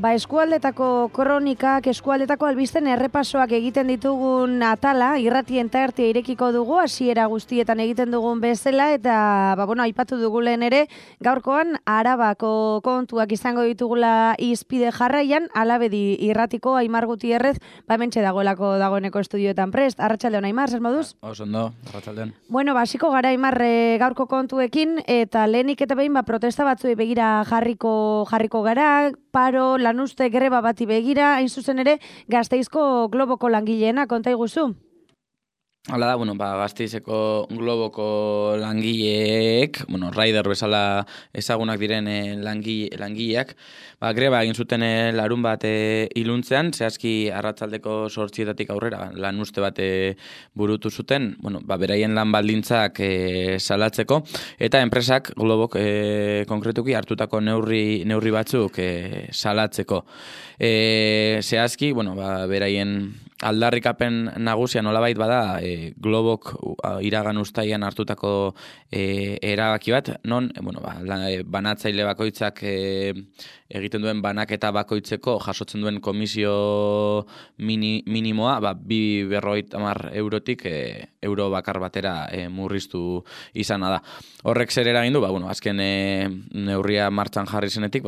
Eskualdetako kronikak, eskualdetako albisten errepasoak egiten ditugun atala, irratien tartea irekiko dugu, hasiera guztietan egiten dugun bezala, eta aipatu dugu lehen ere, gaurkoan Arabako kontuak izango ditugula izpide jarraian, Alabedi irratiko Aimar Gutierrez, hementxe dagoeneko estudioetan prest. Arratsaldeon Aimar, zer moduz? Oso ondo, arratsaldeon. Hasiko gara Aimar gaurko kontuekin, eta lehenik eta behin protesta batzuei begira jarriko gara, paro, lanuzte, greba bati begira, hain zuzen ere, Gasteizko Globoko langileena, konta iguzu? Hala da, Gasteizeko Globoko langileek, Raider bezala ezagunak diren langileak, greba egin zuten larun bat iluntzean, zehazki arratsaldeko 8:00 aurrera lanuzte bat burutu zuten, beraien lan baldintzak salatzeko, eta enpresak Globok konkretuki hartutako neurri batzuk salatzeko. Zehazki, beraien aldarrikapen nagusia nolabait bada Globok iragan uztaian hartutako erabaki bat, non banatzaile bakoitzak egiten duen banaketa bakoitzeko jasotzen duen komisio minimoa 250 eurotik euro bakar batera murriztu izana da. Horrek zer eragin du, azken neurria martxan jarri zenetik,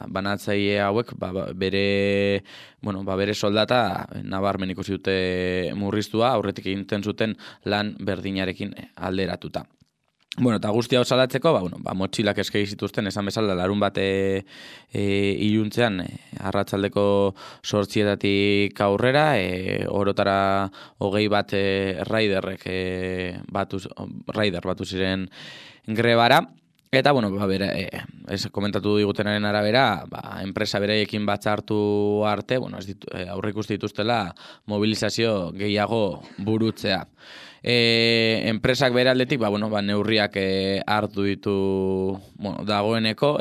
banatzaile hauek bere soldata nabarmen ikusi dute murriztua, aurretik egiten zuten lan berdinarekin alderatuta. Eta guzti hau salatzeko, motxilak eskegi zituzten, esan bezala, larun bat iluntzean, arratsaldeko 8:00 aurrera, orotara 20 bat Raider batu ziren grebara. Eta, komentatu digutenaren arabera, enpresa bereiekin batzartu arte, aurreikusi dituztela mobilizazio gehiago burutzea. Enpresak bere aldetik, neurriak hartu ditu dagoeneko,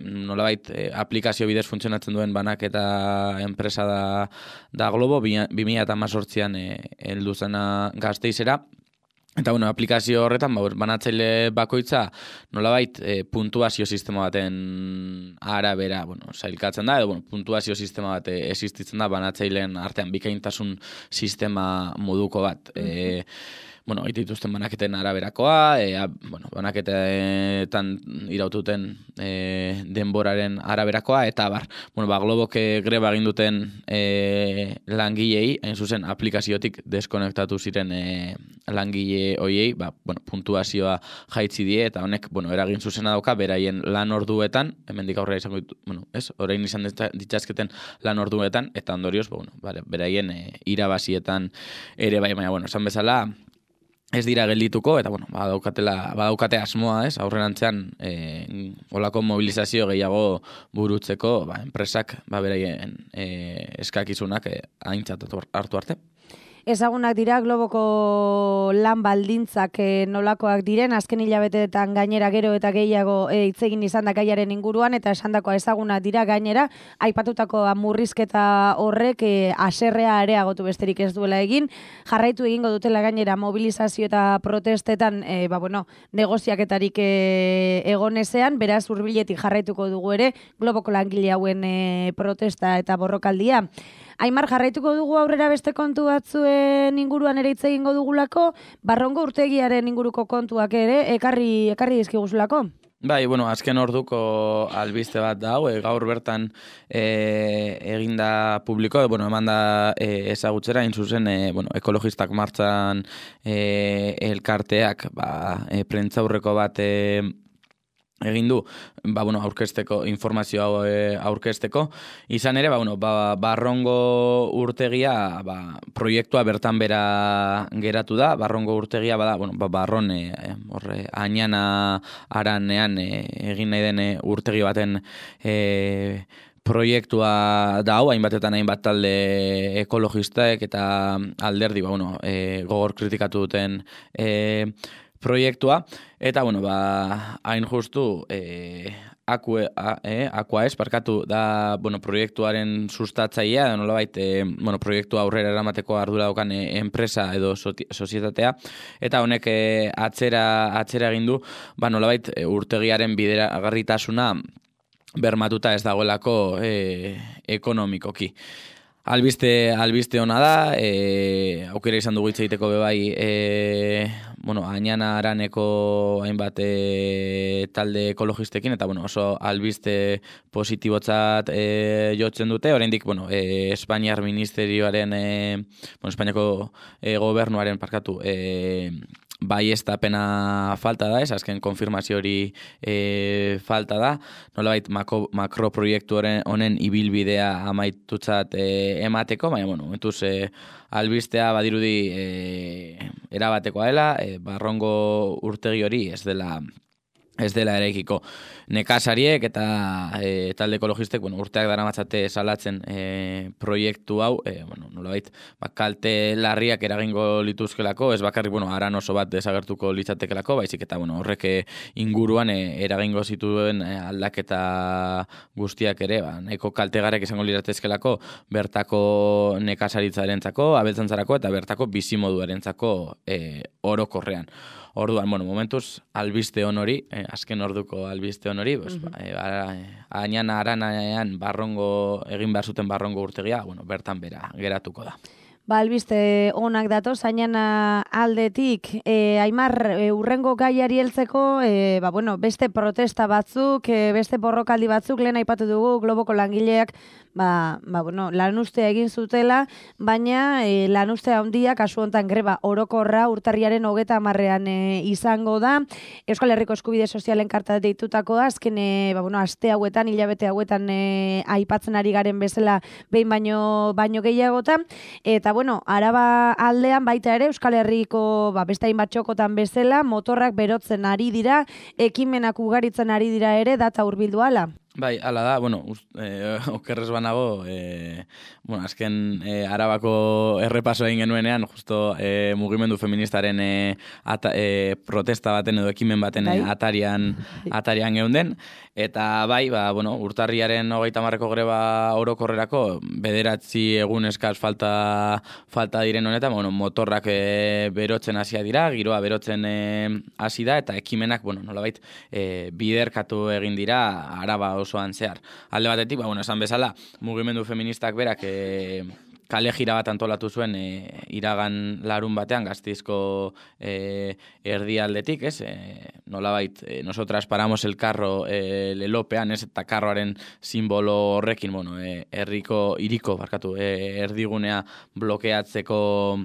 nolabait aplikazio bidez funtzionatzen duen banaketa enpresa da Globo, 2018an heldu zena Gasteizera. Eta, aplikazio horretan, banatzaile bakoitza nolabait puntuazio sistema baten arabera, sailkatzen da, edo puntuazio sistema bat existitzen da banatzaileen artean bikaintasun sistema moduko bat. Egiten dituzten banaketen araberakoa, banaketetan iraututen denboraren araberakoa, eta Globok greba egin duten langilei, hain zuzen aplikaziotik deskonektatu ziren langile hoiei, puntuazioa jaitzi die, eta honek, eragin zuzena dauka, beraien lan orduetan, hemendik aurrera izango ditu, orain izan ditzazketen lan orduetan, eta ondorioz, beraien irabazietan ere baina, esan bezala, ez dira geldituko, eta badaukate asmoa, aurrerantzean olako mobilizazio gehiago burutzeko, enpresak beraien eskakizunak aintzat hartu arte. Ezagunak dira Globoko lan baldintzak nolakoak diren, azken hilabeteetan gainera gero eta gehiago hitz egin izan da gaiaren inguruan, eta esandakoa ezagunak dira gainera, aipatutako murrizketa horrek haserrea areagotu besterik ez duela egin, jarraitu egingo dutela gainera mobilizazio eta protestetan, negoziaketarik egon ezean, beraz hurbiletik jarraituko dugu ere Globoko langile hauen protesta eta borrokaldia. Aimar, jarraituko dugu aurrera beste kontu batzuen inguruan ere hitz egingo dugulako, Barrongo urtegiaren inguruko kontuak ere ekarri dizkiguzulako. Azken orduko albiste bat da, gaur bertan eginda publiko, emanda ezagutzera, hain zuzen, ekologistak martxan elkarteak, prentzaurreko bat egin du, aurkezteko, informazio hau aurkezteko. Izan ere, Barrongo urtegia proiektua bertan bera geratu da. Barrongo urtegia Barron Añana Aranean egin nahi den urtegi baten proiektua da hau, hainbatetan hainbat talde ekologistek eta alderdi gogor kritikatu duten proiektua, eta, hain justu, Aquaes da, proiektuaren sustatzailea, nolabait, proiektua aurrera eramateko ardura daukan enpresa edo sozietatea, eta honek atzera egin du, nolabait, urtegiaren bideragarritasuna bermatuta ez dagoelako ekonomikoki. Albiste ona da, aukera izan dugu hitz egiteko bebai, Añana Araneko hainbat talde ekologistekin, eta oso albiste positibotzat jotzen dute, oraindik Espainiar ministerioaren, Espainiako gobernuaren baiestapena falta da, azken konfirmazio hori falta da, nolabait makroproiektu honen ibilbidea amaitutzat emateko, baina, momentuz albistea badirudi erabatekoa dela, Barrongo urtegi hori ez dela eraikiko. Nekazariek eta talde ekologistek urteak daramatzate salatzen proiektu hau, nolabait kalte larriak eragingo lituzkelako, ez bakarrik aran oso bat desagertuko litzatekelako, baizik eta horrek inguruan eragingo zituen aldaketa guztiak ere, nahiko kaltegarek izango liratezkelako bertako nekazaritzarentzako, abeltzantzarako eta bertako bizimoduarentzako orokorrean. Orduan, momentuz, albiste honori, azken orduko albiste honori, Añana Aranaean egin behar zuten Barrongo urtegia, bertan bera geratuko da. Albiste onak datoz, Añana aldetik, Aimar, urrengo gaiari heltzeko, beste protesta batzuk, beste borrokaldi batzuk, lehen aipatu dugu, Globoko langileak, lanustea egin zutela, baina lanustea handia, kasu hontan greba orokorra urtarriaren 30ean izango da. Euskal Herriko Eskubide Sozialen karta deitutakoa, azken aste hauetan, hilabete hauetan aipatzen ari garen bezala behin baino gehiagotan, eta Araba aldean baita ere Euskal Herriko beste hainbat txokotan bezala motorrak berotzen ari dira, ekimenak ugaritzen ari dira ere, data hurbildu hala. Bai, hala da, okerrez banago, azken Arabako errepaso egin genuenean, justo mugimendu feministaren protesta baten edo ekimen baten atarian geunden, eta urtarriaren 30ko greba orokorrerako 9 egun eskas falta diren honetan, motorrak berotzen hasia dira, giroa berotzen hasi da, eta ekimenak, nolabait, biderkatu egin dira Araba osoan zehar. Alde batetik, esan bezala, mugimendu feministak berak kale jira bat antolatu zuen iragan larun batean Gasteizko erdialdetik, ez? Nolabait, nosotras paramos el carro lelopean, ez? Eta karroaren simbolo horrekin, hiriko erdigunea blokeatzeko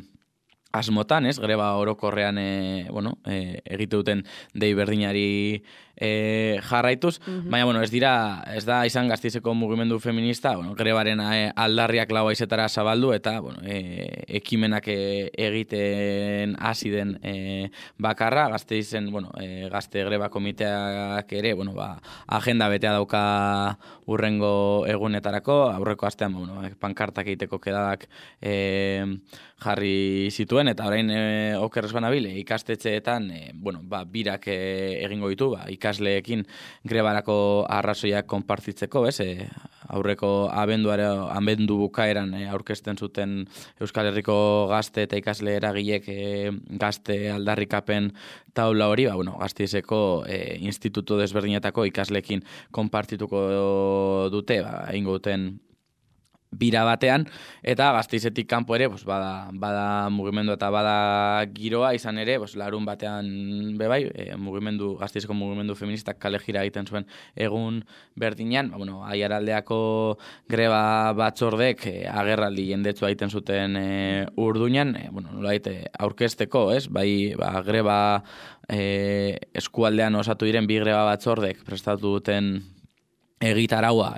asmotan, ez? Greba orokorrean egite duten dei berdinari jarraituz, baina ez da izan Gasteizeko mugimendu feminista, grebaren aldarriak lau haizetara zabaldu eta ekimenak egiten hasi den bakarra, Gasteizen gazte greba komiteak ere agenda betea dauka urrengo egunetarako, aurreko astean pankartak egiteko kedadak jarri zituen, eta orain okerrez banabile ikastetxeetan birak egingo ditu, ikasleekin grebarako arrazoiak konpartitzeko, ez? Aurreko abendu bukaeran aurkezten zuten Euskal Herriko gazte eta ikasle eragilek gazte aldarrikapen taula hori, Gasteizeko institutu desberdinetako ikasleekin konpartituko dute, egingo duten bira batean, eta Gasteizetik kanpo ere bada mugimendu eta bada giroa, izan ere larun batean bebai, Gasteizeko mugimendu feministak kale jira egiten zuen egun berdinean, Aiaraldeako greba batzordek agerraldi jendetsua egiten zuten Urduñan, aurkezteko, ez? Greba eskualdean osatu diren bi greba batzordek prestatu duten egitaraua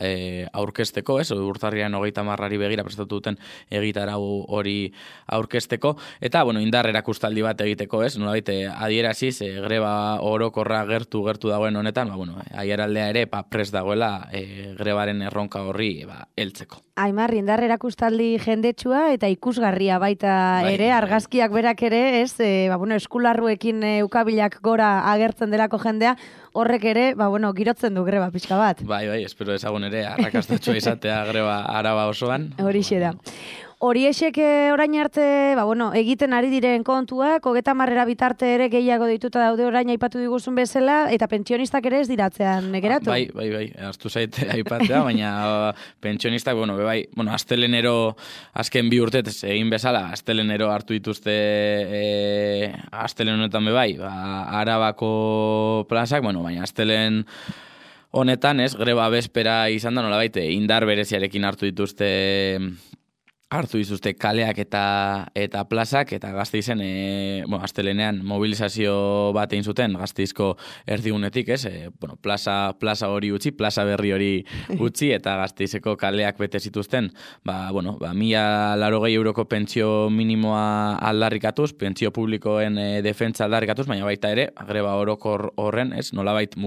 aurkezteko, ez? Urtarriaren 30 begira prestatu duten egitarau hori aurkezteko, eta indar erakustaldi bat egiteko, ez? Nolabait adieraziz greba orokorra gertu dagoen honetan, Aiaraldea ere prest dagoela grebaren erronka horri heltzeko. Aimar, indar erakustaldi jendetsua eta ikusgarria baita ere, argazkiak berak ere, ez? Eskularruekin ukabilak gora agertzen delako jendea, horrek ere, girotzen du greba pixka bat. Bai, espero ezagun ere, arrakastatxoa izatea greba Araba osoan. Horixe da. Horiexek orain arte, egiten ari diren kontuak, 30 bitarte ere gehiago dituta daude orain aipatu diguzun bezala, eta pentsionistak ere ez diratzean geratu. Bai, hartu zait aipatzea, baina pentsionistak, astelenero azken 2 urtetez egin bezala, astelenero hartu dituzte astelen honetan bai, Arabako plazak, baina astelen honetan, greba bespera izan da, nolabait, indar bereziarekin hartu dituzte kaleak eta plazak, eta Gasteizen, astelenean mobilizazio bat egin zuten, Gasteizko erdigunetik, plaza hori utzi, plaza berri hori utzi, eta Gasteizeko kaleak bete zituzten, 1.080 euroko pentsio minimoa aldarrikatuz, pentsio publikoen defentsa aldarrikatuz, baina baita ere, greba orokor horren, nolabait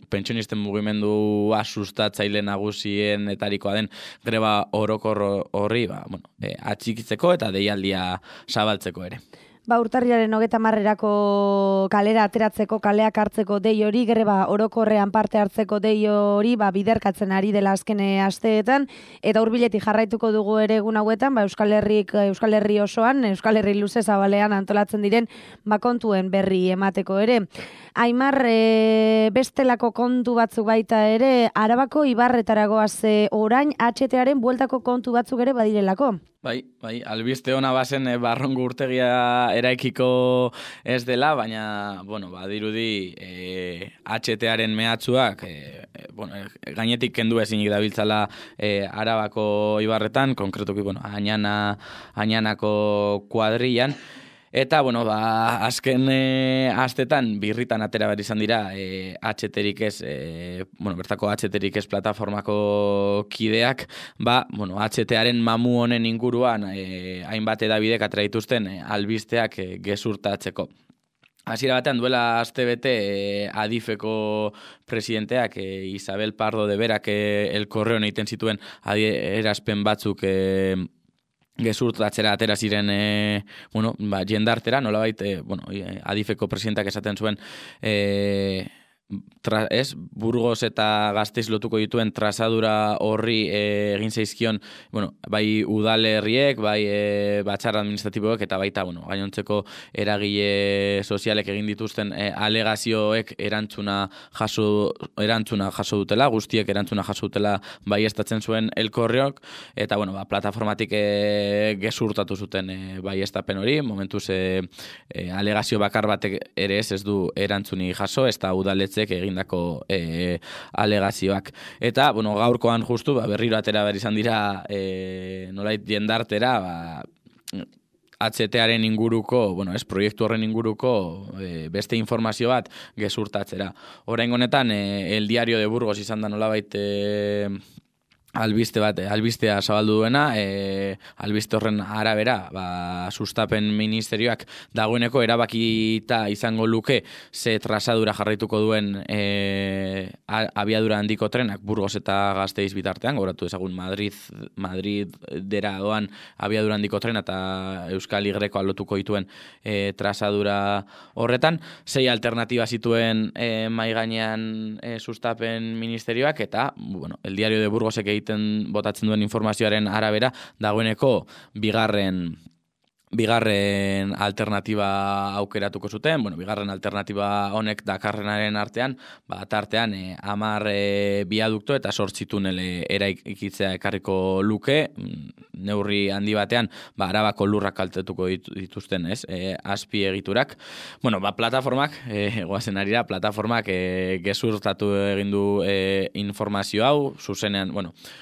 pentsionisten mugimendua sustatzaile nagusien etarikoa den greba orokor horri, atxikitzeko eta deialdia zabaltzeko ere. Urtarrilaren 30erako kalera ateratzeko, kaleak hartzeko dei hori, greba orokorrean parte hartzeko dei hori, biderkatzen ari dela azken asteetan, eta hurbiletik jarraituko dugu ere egun hauetan, Euskal Herri osoan, Euskal Herri luze zabalean antolatzen diren kontuen berri emateko ere. Aimar, bestelako kontu batzuk baita ere, Arabako Ibarretaragoaz orain HTaren bueltako kontu batzuk ere badirelako. Bai, albiste ona bazen Barrongo urtegia eraikiko ez dela, baina, badirudi HTaren mehatxuak, gainetik kendu ezinik dabiltzala Arabako Ibarretan, konkretuki, Añanako kuadrillan. Eta, azken astetan birritan atera behar izan dira HTrik ez, bertako HTrik ez plataformako kideak, HTaren mamu honen inguruan hainbat edabidek atera dituzten albisteak gezurtatzeko. Hasiera batean duela astebete Adifeko presidenteak Isabel Pardo de Berak El Correon egiten zituen adierazpen batzuk gezurtatzera atera ziren jendartera, nolabait, Adifeko presidentak esaten zuen Burgos eta Gasteiz lotuko dituen trazadura horri egin zaizkion, bai udalerriek, bai batzar administratiboek, eta baita, gainontzeko eragile sozialek egin dituzten alegazioek erantzuna jaso dutela, guztiek erantzuna jaso dutela baieztatzen zuen El Correok, eta, plataformatik gezurtatu zuten baieztapen hori, momentuz alegazio bakar batek ere ez du erantzuni jaso, ez da udaletze egindako alegazioak. Eta, gaurkoan justu, berriro atera behar izan dira nolait jendartera, HTaren inguruko, proiektu horren inguruko beste informazio bat gezurtatzera. Oraingo honetan, El Diario de Burgos izan da nolabait albistea zabaldu duena, albiste horren arabera, sustapen ministerioak dagoeneko erabakita izango luke ze trazadura jarraituko duen abiadura handiko trenak Burgos eta Gasteiz bitartean, gogoratu ezagun Madridera doan abiadura handiko trena eta Euskal Y lotuko dituen trazadura horretan, 6 alternatiba zituen mahai gainean sustapen ministerioak, eta, El Diario de Burgosek botatzen duen informazioaren arabera, dagoeneko bigarren alternatiba aukeratuko zuten, bigarren alternatiba honek dakarrenaren artean, tartean 10 biadukto eta 8 tunel eraikitzea ekarriko luke, neurri handi batean, Arabako lurrak kaltetuko dituzten, azpi egiturak. Plataformak, goazen arira, plataformak gezurtatu egin du informazio hau, zuzenean,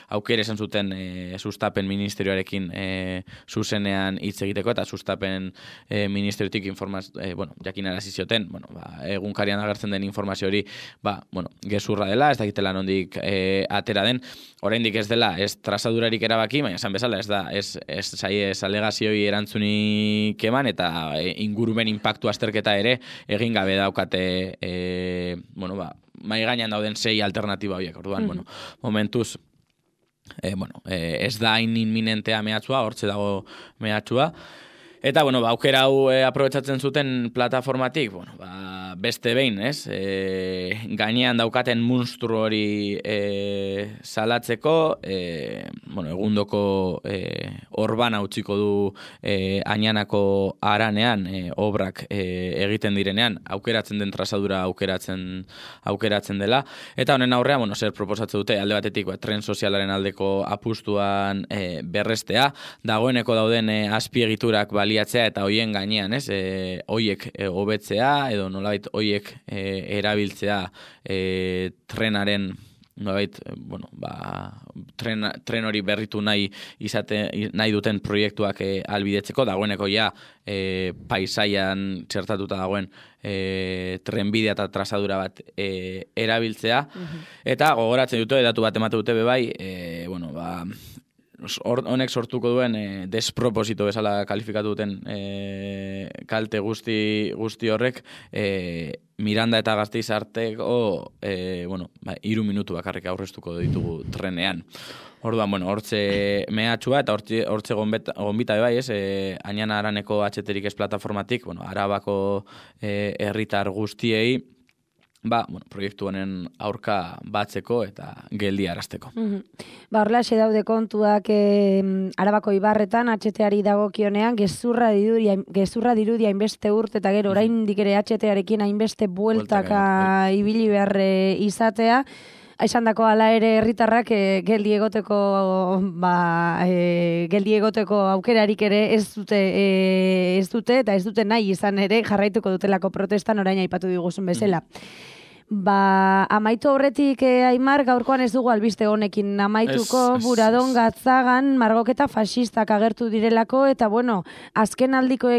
aukere esan zuten sustapen ministerioarekin zuzenean hitz egiteko, eta sustapen ministeriotik jakinarazi zioten, egunkarian agertzen den informazio hori, gezurra dela, ez dakitela nondik atera den, oraindik ez dela, ez trazadurarik erabaki, baina esan bezala, ez alegazioi erantzunik eman, eta ingurumen inpaktu azterketa ere egin gabe daukate, mai gainean dauden 6 alternatiba horiek, orduan, momentuz, ez da hain inminentea mehatxua, hortze dago mehatxua, Eta, bueno, aukera hau aprobetsatzen zuten plataformatik, bueno, beste behin, ez? Gainean daukaten munstru hori salatzeko, bueno, egundoko orbana utziko du Añanako haranean, obrak egiten direnean, aukeratzen den trazadura aukeratzen dela. Eta honen aurrean, bueno, zer proposatzen dute, alde batetik, tren sozialaren aldeko apustuan berrestea, dagoeneko dauden azpiegiturak baliatzea eta hoien gainean, ez? Hoiek hobetzea edo nolabait hoiek erabiltzea trenaren nolabait, bueno, tren hori berritu nahi duten proiektuak albidetzeko, dagoeneko ja paisaian txertatuta dagoen trenbidea eta trazadura bat erabiltzea, eta gogoratzen dute, datu bat emate dute bebai, bueno, honek sortuko duen desproposito bezala kalifikatu duten kalte guzti horrek Miranda eta Gasteiz arteko 3 minutu bakarrik aurreztuko ditugu trenean. Orduan, bueno, hortze mehatxua eta hortze gonbita bai, ez, Añana Araneko atxeterik ez plataformatik, bueno, Arabako herritar guztiei, bueno, proiektu honen aurka batzeko eta geldiarazteko. Horrelaxe daude kontuak Arabako Ibarretan, atxeteari dagokionean, gezurra dirudia hainbeste urte eta gero oraindik ere atxetearekin hainbeste bueltaka ibili behar izatea. Aizandako ala ere herritarrak geldi egoteko aukerarik ere ez dute eta ez dute nahi izan ere jarraituko dutelako protestan orain aipatu diguzun bezala. Amaitu horretik Aimar, gaurkoan ez dugu albiste honekin amaituko, Buradon Gatzagan margoketa fasistak agertu direlako, eta bueno, azkenaldiko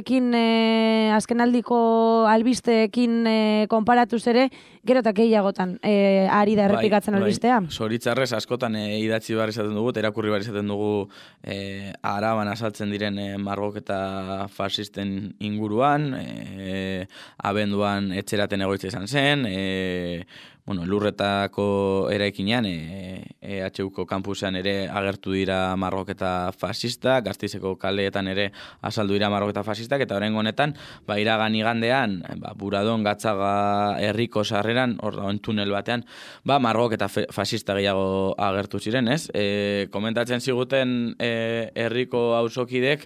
albisteekin konparatuz ere, gero eta gehiagotan ari da errepikatzen albistea. Zoritzarrez askotan idatzi behar izaten dugu, irakurri behar izaten dugu Araban azaltzen diren margoketa fasisten inguruan, abenduan etxeraten egoitza izan zen, lurretako eraikinean, EHUko kampusean ere agertu dira margoketa fasista, Gasteizeko kaleetan ere azaldu dira margoketa fasistak, eta oraingo honetan, iragan igandean, Buradon Gatzaga herriko sarreran, hor tunel batean, margoketa fasista gehiago agertu ziren, ez? Komentatzen ziguten herriko auzokidek,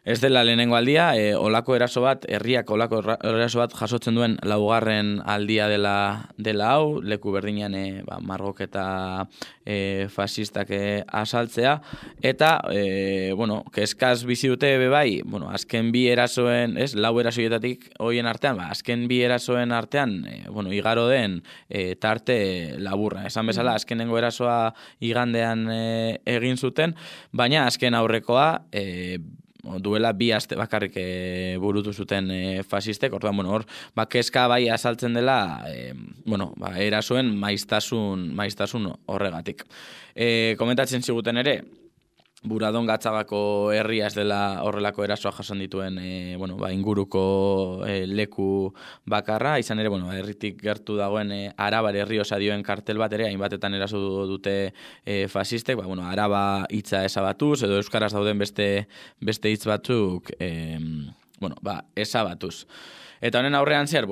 ez dela lehenengo aldia, herriak olako eraso bat jasotzen duen 4. aldia dela hau, leku berdinean margoketa fasistak asaltzea, eta, kezkaz bizi dute bebai, azken bi erasoen, 4 erasoietatik hoien artean, azken bi erasoen artean, igaro den tarte laburra. Esan bezala, azkenengo erasoa igandean egin zuten, baina azken aurrekoa, duela 2 aste bakarrik burutu zuten fasistek, orduan, hor, kezka bai azaltzen dela, erasoen maiztasun horregatik. Komentatzen ziguten ere, Buradon Gatzagako herria ez dela horrelako erasoa jasan dituen inguruko leku bakarra, izan ere, herritik gertu dagoen Arabar herri osadioen kartel bat ere, hainbatetan eraso dute fasistek, Araba hitza ezabatuz, edo euskaraz dauden beste hitz batzuk, ezabatuz. Eta honen aurrean zer,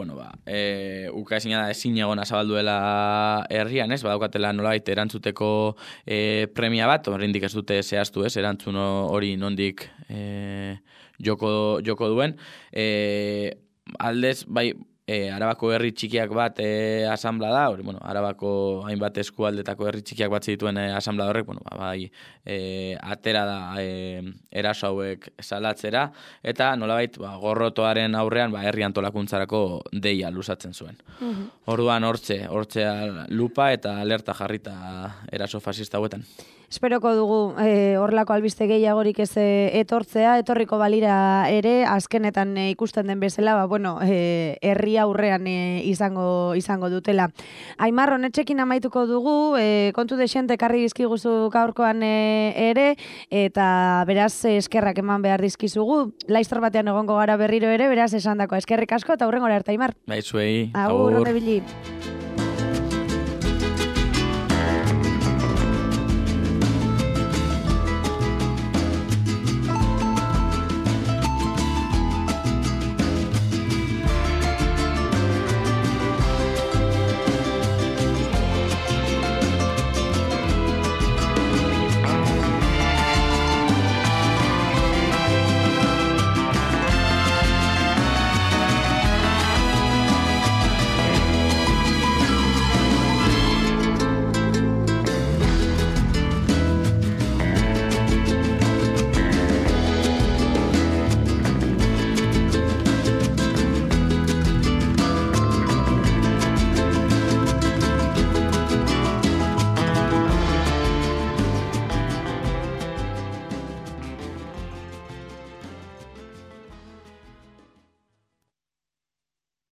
ukaezina da ezin egona zabalduela herrian, ez? Badaukatela nolabait erantzuteko premia bat, oraindik ez dute zehaztu, ez? Erantzun hori nondik joko duen. Aldez, Arabako herri txikiak bat asamblea da, Arabako hainbat eskualdetako herri txikiak bat zituen asamblea horrek, atera da eraso hauek salatzera, eta nolabait gorrotoaren aurrean herri antolakuntzarako deia luzatzen zuen. Orduan hortze lupa eta alerta jarrita eraso fasista hauetan. Esperoko dugu horrelako albiste gehiagorik ez etorriko balira ere, azkenetan ikusten den bezala, herri aurrean izango dutela. Aimar, honetxekin amaituko dugu, kontu desente karri dizkiguzu gaurkoan ere, eta beraz eskerrak eman behar dizkizugu. Laiztor batean egongo gara berriro ere, beraz esandako eskerrik asko, eta hurrengora arte, Aimar. Zuei, agur. Agur, onde bili.